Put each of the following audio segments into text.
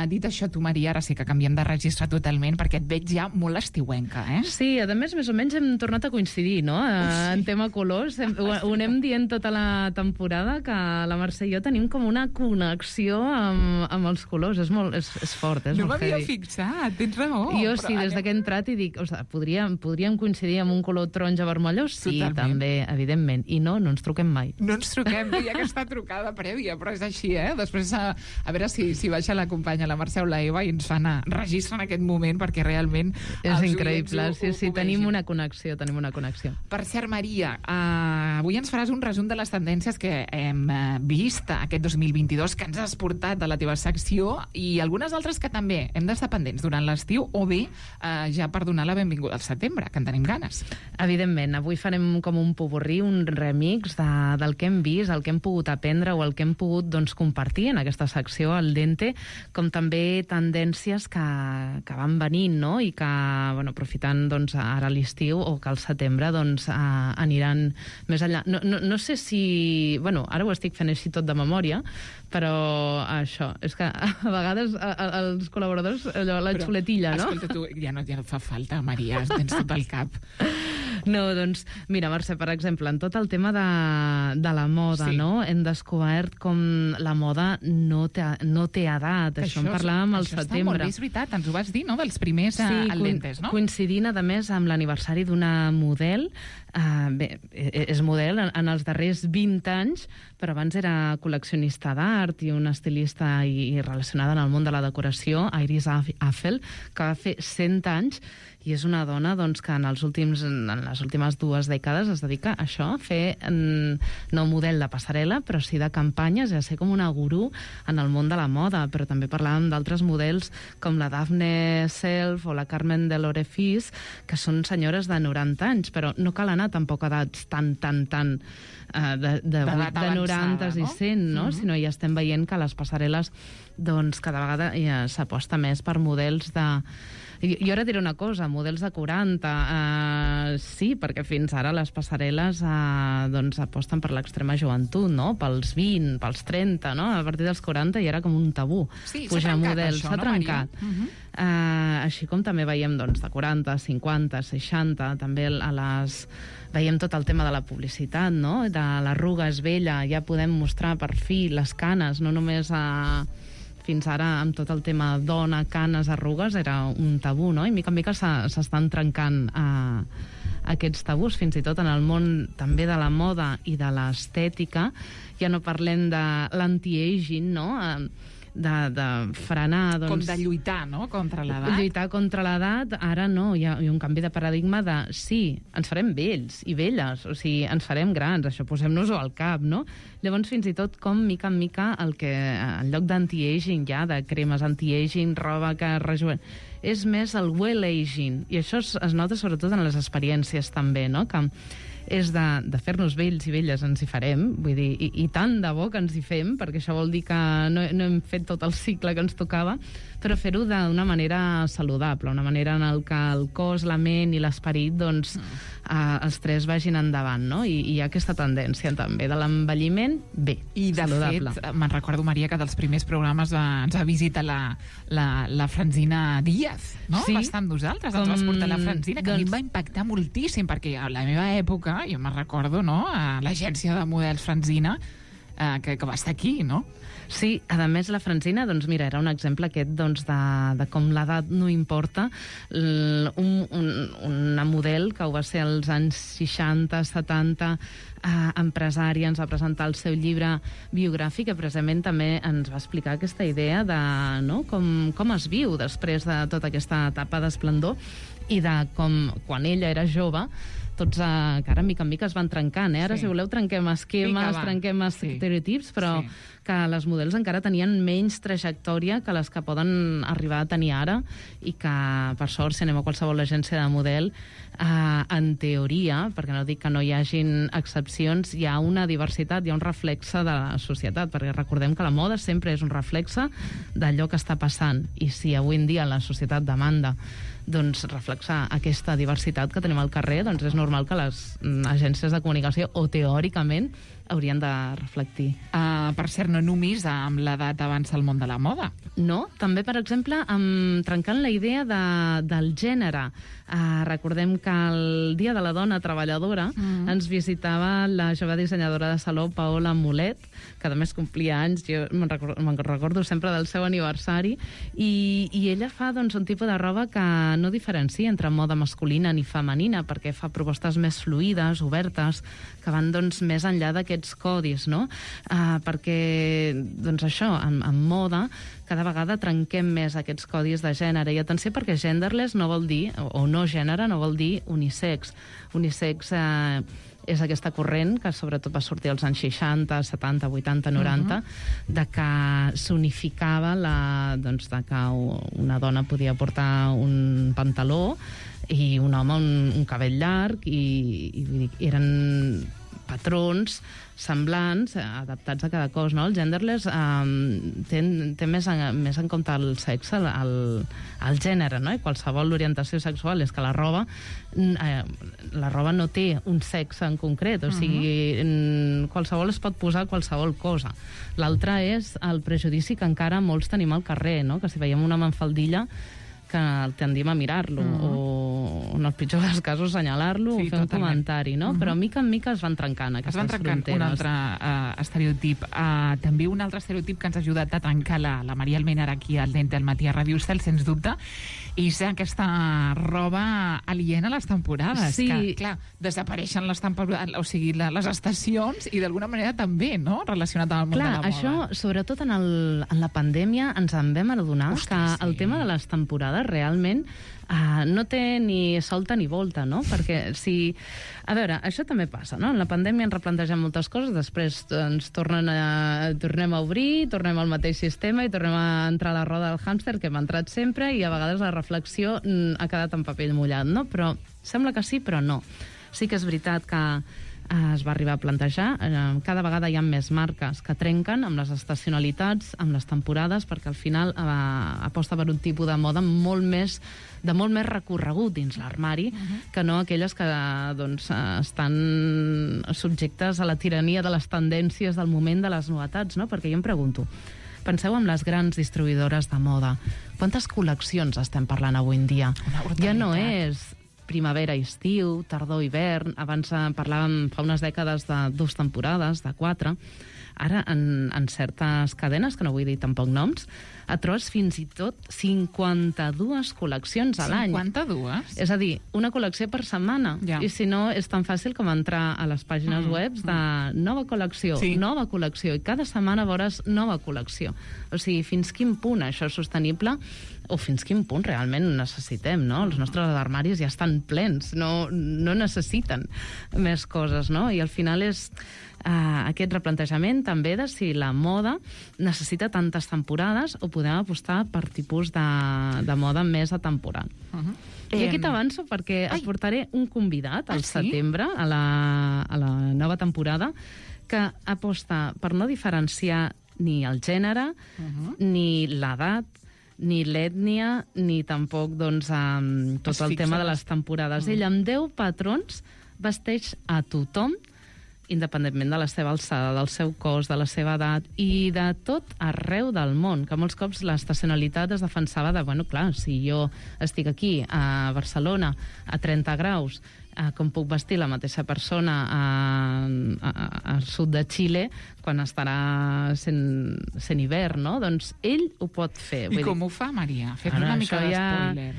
Dit això, tu, Maria, ara sí que canviem de registre totalment, perquè et veig ja molt estiuenca, eh? Sí, a més o menys hem tornat a coincidir, no?, en tema colors. Ho anem dient tota la temporada, que la Mercè i jo tenim com una connexió amb els colors. És fort, és no molt heavy. No m'havia fixat, tens raó. Jo sí, des que he entrat i dic, podríem coincidir amb un color taronja vermellós? Sí, totalment. També, evidentment. I no ens truquem mai. No ens truquem, hi ha aquesta trucada prèvia, però és així, eh? Després, a veure si baixa la companya, la Mercè o la Eva, i ens fan a registre en aquest moment, perquè realment... És increïble, sí, tenim una connexió. Per cert, Maria, avui ens faràs un resum de les tendències que hem vist aquest 2022, que ens has portat de la teva secció, i algunes altres que també hem d'estar pendents durant l'estiu, o bé ja per donar la benvinguda al setembre, que en tenim ganes. Evidentment, avui farem com un popurrí, un remix del que hem vist, el que hem pogut aprendre o el que hem pogut compartir en aquesta secció, al Dente, com també tendències que van venint, no?, i que, aprofitant ara l'estiu o que al setembre aniran més enllà. No sé si... ara ho estic fent així tot de memòria, però això, és que a vegades els col·laboradors, la xuletilla, no? Escolta, tu, ja no fa falta, Maria, tens tot el cap. No, mira, Mercè, per exemple, en tot el tema de la moda, sí, no?, hem descobert com la moda no té edat. Això en parlàvem al setembre. Està molt bé, és veritat, ens ho vas dir, no?, dels primers al·lentes, no? Coincidint, a més, amb l'aniversari d'una model. És model en els darrers 20 anys, però abans era col·leccionista d'art i una estilista i relacionada en el món de la decoració, Iris Affel, que va fer 100 anys, i és una dona que en les últimes 2 dècades es dedica a això, a fer no model de passarel·la, però sí de campanyes, i a ser com una gurú en el món de la moda. Però també parlàvem d'altres models com la Daphne Self o la Carmen de Lorefis, que són senyores de 90 anys, però no cal anar tampoc a edats tan de 90 i 100, no? Sinó ja estem veient que les passarel·les cada vegada s'aposta més per models de... Jo ara diré una cosa, models de 40, sí, perquè fins ara les passarel·les aposten per l'extrema joventut, no?, pels 20, pels 30, no?, a partir dels 40 ja era com un tabú. Sí, s'ha trencat això, s'ha trencat. Així com també veiem de 40, 50, 60, també veiem tot el tema de la publicitat, no?, de l'arruga és vella, ja podem mostrar per fi les canes, no només fins ara amb tot el tema dona, canes, arrugues, era un tabú, no? I mica en mica s'estan trencant aquests tabús, fins i tot en el món també de la moda i de l'estètica. Ja no parlem de l'anti-aging, no?, de frenar... Com de lluitar, no?, contra l'edat. Lluitar contra l'edat, ara no, hi ha un canvi de paradigma de sí, ens farem vells i velles, o sigui, ens farem grans, això posem-nos-ho al cap, no? Llavors, fins i tot, com mica en mica, en lloc d'anti-aging ja, de cremes anti-aging, roba que rejuven, és més el well-aging, i això es nota sobretot en les experiències també, no?, que és de fer-nos vells i velles, ens hi farem, vull dir, i tant de bo que ens hi fem, perquè això vol dir que no hem fet tot el cicle que ens tocava, però fer-ho d'una manera saludable, una manera en què el cos, la ment i l'esperit, els tres vagin endavant, no? I hi ha aquesta tendència també de l'envelliment, bé, saludable. I de fet, me'n recordo, Maria, que dels primers programes ens va visitar la Francina Díaz, no? Sí. Va estar amb nosaltres, ens vas portar la Francina, que a mi em va impactar moltíssim, perquè a la meva època, jo me'n recordo, no?, a l'agència de models Francina, que va estar aquí, no? Sí, a més la Francina, mira, era un exemple aquest de com l'edat no importa. Una model que ho va ser als anys 60, 70, empresària, ens va presentar el seu llibre biogràfic, que precisament també ens va explicar aquesta idea de com es viu després de tota aquesta etapa d'esplendor i de com, quan ella era jove, tots que ara mica en mica es van trencant, Ara, si voleu, trenquem esquemes, trenquem estereotips, però que les models encara tenien menys trajectòria que les que poden arribar a tenir ara, i que, per sort, si anem a qualsevol agència de model, en teoria, perquè no dic que no hi hagin excepcions, hi ha una diversitat, hi ha un reflexe de la societat, perquè recordem que la moda sempre és un reflexe d'allò que està passant, i si avui en dia la societat demanda reflexar aquesta diversitat que tenim al carrer, és normal que les agències de comunicació, o teòricament, haurien de reflectir. Per cert, no només amb l'edat avança el món de la moda. No, també, per exemple, trencant la idea del gènere. Recordem que el Dia de la Dona Treballadora ens visitava la jove dissenyadora de saló Paola Mulet, que a més complia anys, jo me'n recordo sempre del seu aniversari, i ella fa doncs, un tipus de roba que no diferencia entre moda masculina ni femenina, perquè fa propostes més fluides, obertes, que van doncs, més enllà d'aquests codis, no? Perquè, doncs això, en moda, cada vegada trenquem més aquests codis de gènere. I atenció, perquè genderless no vol dir, o no gènere, no vol dir unisex. Unisex és aquesta corrent que sobretot va sortir als anys 60, 70, 80, 90, de que s'unificava doncs, de que una dona podia portar un pantaló i un home un cabell llarg, i eren patrons semblants, adaptats a cada cos, no? El genderless té més en compte el sexe, el gènere, no? I qualsevol orientació sexual és que la roba no té un sexe en concret, o sigui, qualsevol es pot posar qualsevol cosa. L'altre és el prejudici que encara molts tenim al carrer, no? Que si veiem un home en faldilla que tendim a mirar-lo, o en el pitjor dels casos assenyalar-lo, o fer un comentari, no? Però mica en mica es van trencant aquestes fronteres. Es van trencant un altre estereotip. També un altre estereotip que ens ha ajudat a trencar la Maria Almenar aquí al Dente al matí a Ràdio Estel, sens dubte, és aquesta roba aliena a les temporades. Sí. Que, clar, desapareixen les temporades, o sigui, les estacions, i d'alguna manera també, no?, relacionat amb el món de la moda. Això, sobretot en la pandèmia, ens en vam adonar que el tema de les temporades realment no té ni solta ni volta, no? Perquè si... A veure, això també passa, no? En la pandèmia ens replantegem moltes coses, després ens tornem a obrir, tornem al mateix sistema i tornem a entrar a la roda del hàmster que hem entrat sempre, i a vegades la reflexió ha quedat en paper mullat, no? Però sembla que sí, però no. Sí que és veritat que es va arribar a plantejar. Cada vegada hi ha més marques que trenquen amb les estacionalitats, amb les temporades, perquè al final aposta per un tipus de moda de molt més recorregut dins l'armari, que no aquelles que doncs, estan subjectes a la tirania de les tendències del moment, de les novetats, no? Perquè jo em pregunto, penseu en les grans distribuïdores de moda. Quantes col·leccions estem parlant avui en dia? Ja no és primavera-estiu, tardor-hivern. Abans parlàvem fa unes dècades de 2 temporades, de 4. Ara, en certes cadenes, que no vull dir tampoc noms, et trobes fins i tot 52 col·leccions a l'any. 52? És a dir, una col·lecció per setmana. Ja. I si no, és tan fàcil com entrar a les pàgines web de nova col·lecció, nova col·lecció, i cada setmana veuràs nova col·lecció. O sigui, fins quin punt això és sostenible, o fins quin punt realment necessitem, no? Els nostres armaris ja estan plens, no necessiten més coses, no? I al final és aquest replantejament també de si la moda necessita tantes temporades o podem apostar per tipus de moda més atemporal. I aquí t'avanço perquè et portaré un convidat al setembre, a la nova temporada, que aposta per no diferenciar ni el gènere, ni l'edat, ni l'ètnia, ni tampoc doncs, tot el tema de les temporades. Ell, amb 10 patrons, vesteix a tothom, independentment de la seva alçada, del seu cos, de la seva edat, i de tot arreu del món, que molts cops l'estacionalitat es defensava de, bueno, clar, si jo estic aquí, a Barcelona, a 30 graus, com puc vestir la mateixa persona al sud de Xile quan estarà sent hivern, no? Doncs ell ho pot fer. I com ho fa, Maria? Fem una mica d'espoiler.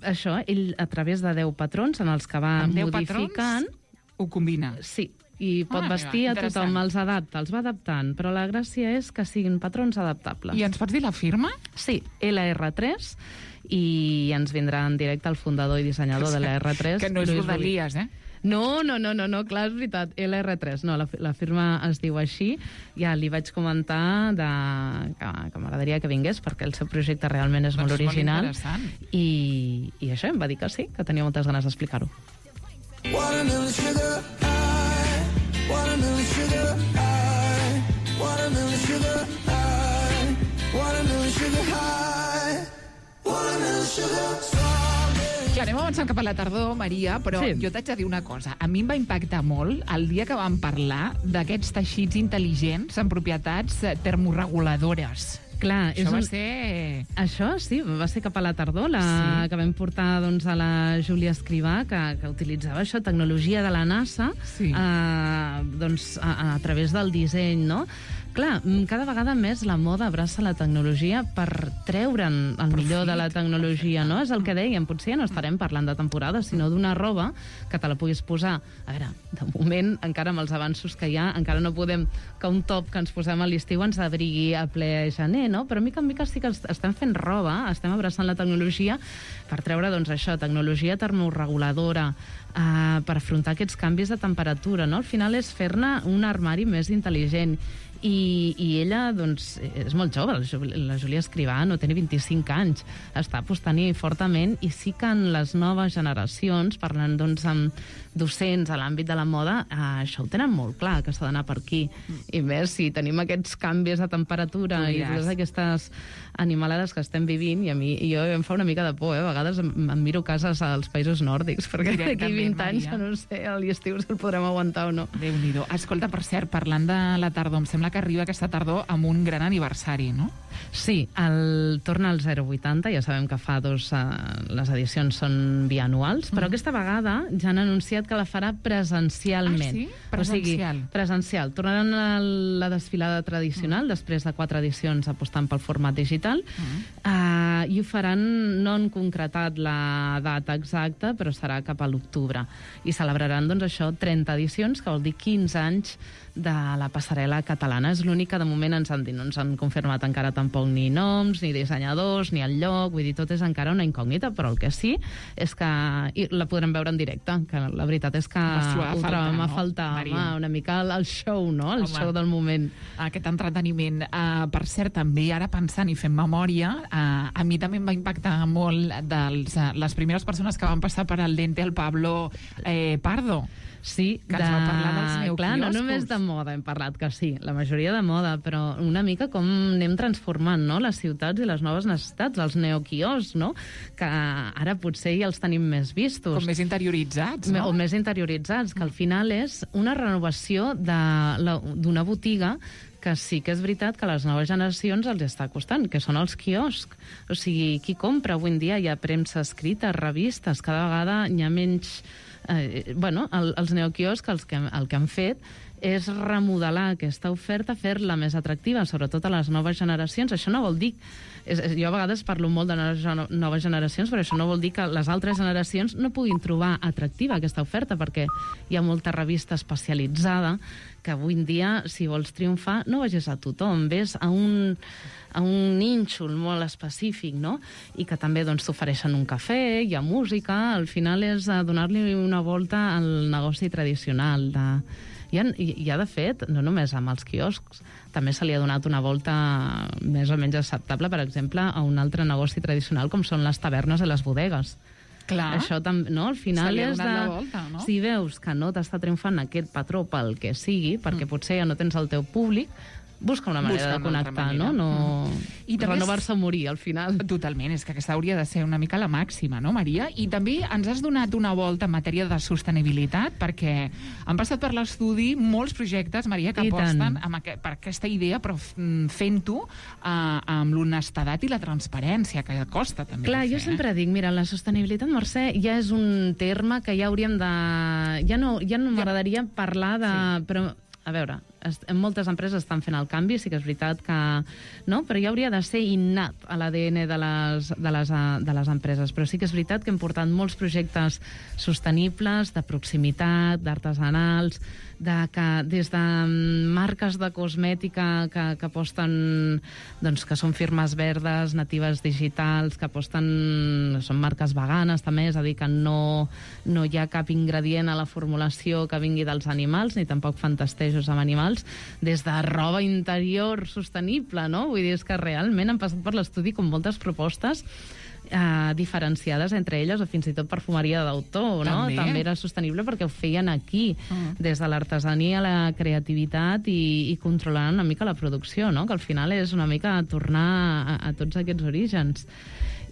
Això, ell, a través de 10 patrons en els que va modificant... Ho combina? Sí, i pot vestir a tothom, els adapta, els va adaptant, però la gràcia és que siguin patrons adaptables. I ens pots dir la firma? Sí, LR3, i ens vindrà en directe el fundador i dissenyador de la R3. Que no és Rodalies, eh? No, clar, és veritat, LR3, no, la firma es diu així. Ja li vaig comentar que m'agradaria que vingués, perquè el seu projecte realment és molt original. I això, em va dir que sí, que tenia moltes ganes d'explicar-ho. Watermelon sugar high, watermelon sugar high, watermelon sugar high, watermelon sugar high, watermelon sugar strawberry. Clar, anem avançant cap a la tardor, Maria, però Sí. jo t'haig de dir una cosa. A mi em va impactar molt el dia que vam parlar d'aquests teixits intel·ligents amb propietats termorreguladores. Clar, Això va ser... Això sí, va ser cap a la tardor, Sí. que vam portar doncs, a la Júlia Escrivà, que utilitzava això, tecnologia de la NASA, Sí. doncs, a través del disseny, no? Clar, cada vegada més la moda abraça la tecnologia per treure'n el millor de la tecnologia, no? És el que dèiem, potser ja no estarem parlant de temporada, sinó d'una roba que te la puguis posar. A veure, de moment, encara amb els avanços que hi ha, encara no podem que un top que ens posem a l'estiu ens abrigui a ple gener, no? Però mica en mica sí que estem fent roba, estem abraçant la tecnologia per treure, doncs, això, tecnologia termorreguladora, per afrontar aquests canvis de temperatura, no? Al final és fer-ne un armari més intel·ligent. I ella, doncs, és molt jove, la Júlia Escrivà no té ni 25 anys, està apostant-hi fortament, i sí que en les noves generacions, parlant, doncs, amb docents a l'àmbit de la moda, això ho tenen molt clar, que s'ha d'anar per aquí. I més, si tenim aquests canvis de temperatura i totes aquestes animalades que estem vivint, i jo em fa una mica de por, a vegades em miro cases als països nòrdics, perquè d'aquí 20 anys, no sé, a l'estiu si el podrem aguantar o no. Déu-n'hi-do. Escolta, per cert, parlant de la tardor, em sembla que arriba aquesta tardor amb un gran aniversari, no? Sí, torna al 080, ja sabem que fa les edicions són bianuals, però aquesta vegada ja han anunciat que la farà presencialment. Ah, sí? Presencial. O sigui, presencial. Tornaran a la desfilada tradicional, després de 4 edicions apostant pel format digital, i ho faran, no han concretat la data exacta, però serà cap a l'octubre. I celebraran, doncs, això, 30 edicions, que vol dir 15 anys de la passarel·la catalana. És l'únic que de moment ens han dit. No ens han confirmat encara tampoc ni noms, ni dissenyadors, ni el lloc. Vull dir, tot és encara una incògnita, però el que sí és que la podrem veure en directe, que la veritat és que ho trobem a faltar, una mica el show, no? El show del moment. Aquest entreteniment. Per cert, també, ara pensant i fent memòria, a mi també em va impactar molt les primeres persones que van passar per al Dente, el Pablo Pardo. Sí, que ens va parlar dels neoquioscos. Clar, no només de moda hem parlat, que sí, la majoria de moda, però una mica com anem transformant, no?, les ciutats i les noves necessitats, els neoquioscs, no?, que ara potser ja els tenim més vistos. Com més interioritzats, no? O més interioritzats, que al final és una renovació d'una botiga que sí que és veritat que a les noves generacions els està costant, que són els quioscs. O sigui, qui compra avui en dia? Hi ha premsa escrita, revistes, cada vegada hi ha menys... els neoquioscs el que han fet és remodelar aquesta oferta, fer-la més atractiva, sobretot a les noves generacions. Això no vol dir... Jo a vegades parlo molt de noves generacions, però això no vol dir que les altres generacions no puguin trobar atractiva aquesta oferta, perquè hi ha molta revista especialitzada que avui en dia, si vols triomfar, no vagis a tothom, ves a un nínxol molt específic, no? I que també doncs, t'ofereixen un cafè, hi ha música, al final és donar-li una volta al negoci tradicional. Hi ha, de fet, no només amb els quioscs, també se li ha donat una volta més o menys acceptable, per exemple, a un altre negoci tradicional com són les tavernes i les bodegues. Clar. Això també, no? Al final és de... Volta, no? Si veus que no t'està triomfant aquest patró pel que sigui, perquè potser ja no tens el teu públic, busca una manera de connectar, no? I renovar-se o morir, al final. Totalment, és que aquesta hauria de ser una mica la màxima, no, Maria? I també ens has donat una volta en matèria de sostenibilitat, perquè han passat per l'estudi molts projectes, Maria, que aposten per aquesta idea, però fent-ho amb l'honestedat i la transparència, que costa també. Clar, jo sempre dic, mira, la sostenibilitat, Mercè, ja és un terme que ja hauríem de... Ja no m'agradaria parlar de... Però, a veure, moltes empreses estan fent el canvi, sí que és veritat que... No? Però ja hauria de ser innat a l'ADN de les empreses. Però sí que és veritat que hem portat molts projectes sostenibles, de proximitat, d'artesanals, des de marques de cosmètica que aposten, doncs, que són firmes verdes, natives digitals, que aposten... Són marques veganes, també, és a dir, que no hi ha cap ingredient a la formulació que vingui dels animals, ni tampoc fan testejos amb animals, des de roba interior sostenible, no? Vull dir, és que realment han passat per l'estudi com moltes propostes diferenciades entre elles, o fins i tot perfumeria d'autor, no? També era sostenible perquè ho feien aquí, des de l'artesania, la creativitat i controlant una mica la producció, no? Que al final és una mica tornar a tots aquests orígens.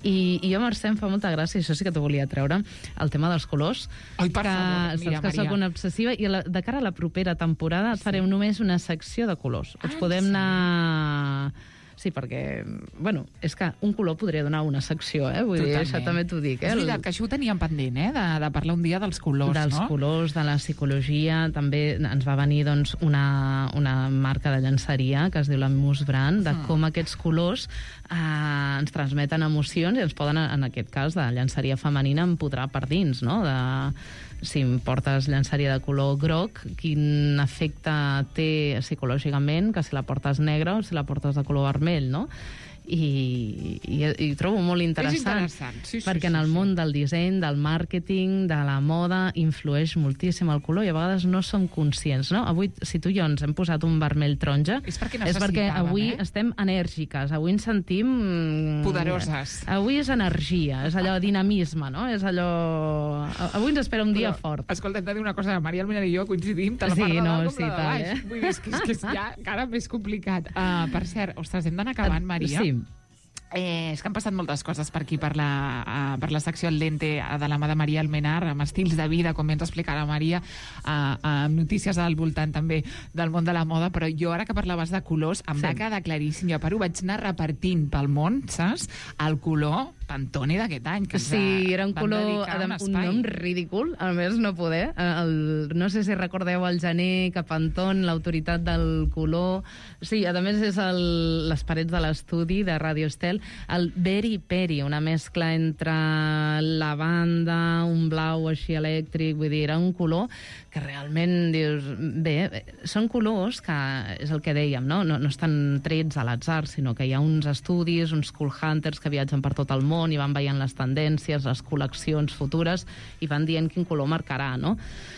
I jo, Mercè, em fa molta gràcia, això sí que t'ho volia treure, el tema dels colors. Ai, per favor, mira, que soc una obsessiva, i de cara a la propera temporada et farem només una secció de colors. Ens podem anar... Sí, perquè, bueno, és que un color podria donar una secció, Vull dir, això també t'ho dic, És veritat que això ho teníem pendent, de parlar un dia dels colors, no? Dels colors, de la psicologia. També ens va venir, doncs, una marca de llenceria que es diu la Mousse Brand, de com aquests colors ens transmeten emocions i ens poden, en aquest cas, de llenceria femenina, empodrar per dins, no? Si em portes llenceria de color groc, quin efecte té psicològicament que si la portes negra o si la portes de color vermell, no? I trobo molt interessant, sí, perquè en el món del disseny, del màrqueting, de la moda, influeix moltíssim el color i a vegades no som conscients, no? Avui, si tu i jo ens hem posat un vermell taronja, és perquè avui estem enèrgiques, avui ens sentim... poderoses. Avui és energia, és allò dinamisme, no? És allò... Avui ens espera un dia fort. Escolta, hem de dir una cosa, Maria Almenar i jo coincidim, tant la part de dalt com la de baix. Vull dir, és que és ja encara més complicat. Per cert, ostres, hem d'anar acabant, Maria. Sí. És que han passat moltes coses per aquí, per la secció al dente de la mà de Maria Almenar, amb estils de vida, com ens explicarà la Maria, amb notícies al voltant també del món de la moda, però jo ara que parlaves de colors em va quedar claríssim, jo ho vaig anar repartint pel món, saps? El color Pantone d'aquest any, que era un color, un nom ridícul, a més no poder. No sé si recordeu el gener que Pantone, l'autoritat del color... Sí, a més és les parets de l'estudi de Radio Estel, el Berry Peri, una mescla entre lavanda, un blau així elèctric, vull dir, era un color que realment dius... Bé, són colors que, és el que dèiem, no estan trets a l'atzar, sinó que hi ha uns estudis, uns cool hunters que viatgen per tot el món i van veient les tendències, les col·leccions futures i van dient quin color marcarà, no?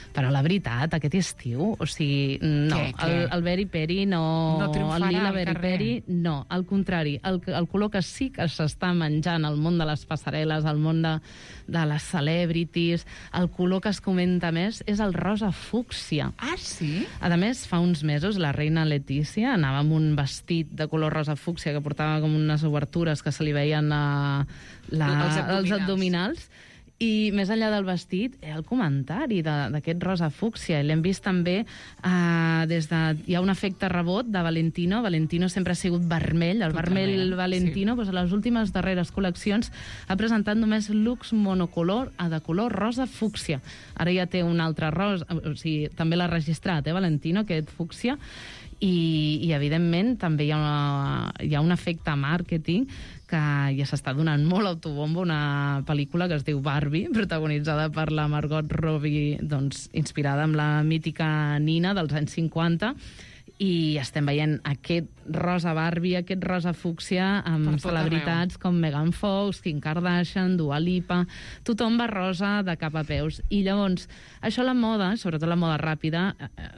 Però la veritat, aquest estiu, o sigui, no, el Berry Peri no el lila Berry Peri, no, al contrari, el color que sí que s'està menjant al món de les passarel·les, al món de les celebrities, el color que es comenta més és el rosa fúcsia. Ah, sí? A més, fa uns mesos la reina Letícia anava amb un vestit de color rosa fúcsia que portava com unes obertures que se li veien els abdominals. I més enllà del vestit, el comentari d'aquest rosa fúcsia. L'hem vist també hi ha un efecte rebot de Valentino. Valentino sempre ha sigut vermell. El vermell Valentino, doncs, a les últimes darreres col·leccions, ha presentat només looks monocolor de color rosa fúcsia. Ara ja té un altre rosa, o sigui, també l'ha registrat, Valentino, aquest fúcsia. I evidentment, també hi ha un efecte màrqueting que ja s'està donant molt autobombo, una pel·lícula que es diu Barbie, protagonitzada per la Margot Robbie, doncs, inspirada en la mítica Nina dels anys 50, i estem veient aquest rosa Barbie, aquest rosa fúcsia amb celebritats com Megan Fox, Kim Kardashian, Dua Lipa... Tothom va rosa de cap a peus. I llavors, això la moda, sobretot la moda ràpida,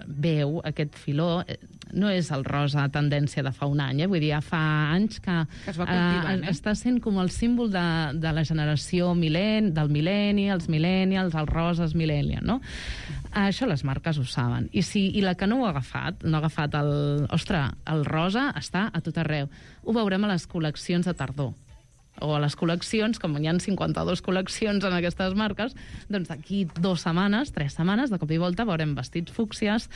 veu aquest filó... No és el rosa tendència de fa un any, vull dir, ja fa anys que es va cultivant, està sent com el símbol de la generació del millennials, els roses millennials, no? Això les marques ho saben. I la que no ho ha agafat, el rosa està a tot arreu. Ho veurem a les col·leccions de tardor. O a les col·leccions, com hi ha 52 col·leccions en aquestes marques, doncs d'aquí 2 setmanes, 3 setmanes, de cop i volta veurem vestits fúcsies,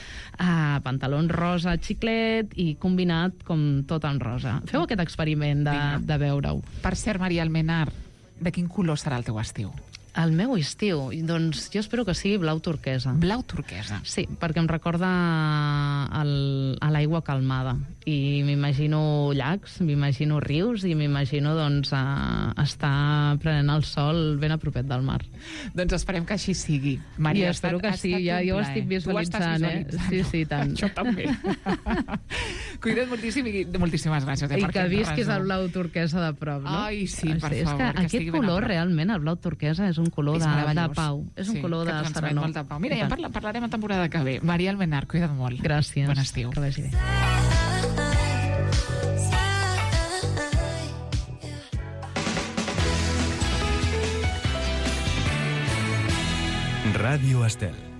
pantalons rosa xiclet i combinat com tot en rosa. Feu aquest experiment de veure-ho. Per cert, Maria Almenar, de quin color serà el teu estiu? El meu estiu? Doncs jo espero que sigui blau turquesa. Blau turquesa? Sí, perquè em recorda a l'aigua calmada. I m'imagino llacs, m'imagino rius i m'imagino, doncs, estar prenent el sol ben a propet del mar. Doncs esperem que així sigui. Maria, jo espero que sí, ja ho estic visualitzant, Sí, tant. Jo també. Cuida't moltíssim i moltíssimes gràcies. I que visquis el blau turquesa de prop, no? Ai, sí, per favor. És que aquest color, realment, el blau turquesa, és un color de pau. És un color de serenor. Mira, ja parlarem a temporada que ve. Maria Almenar, cuida't molt. Gràcies. Bon estiu. Que vagi bé. Ràdio Estel.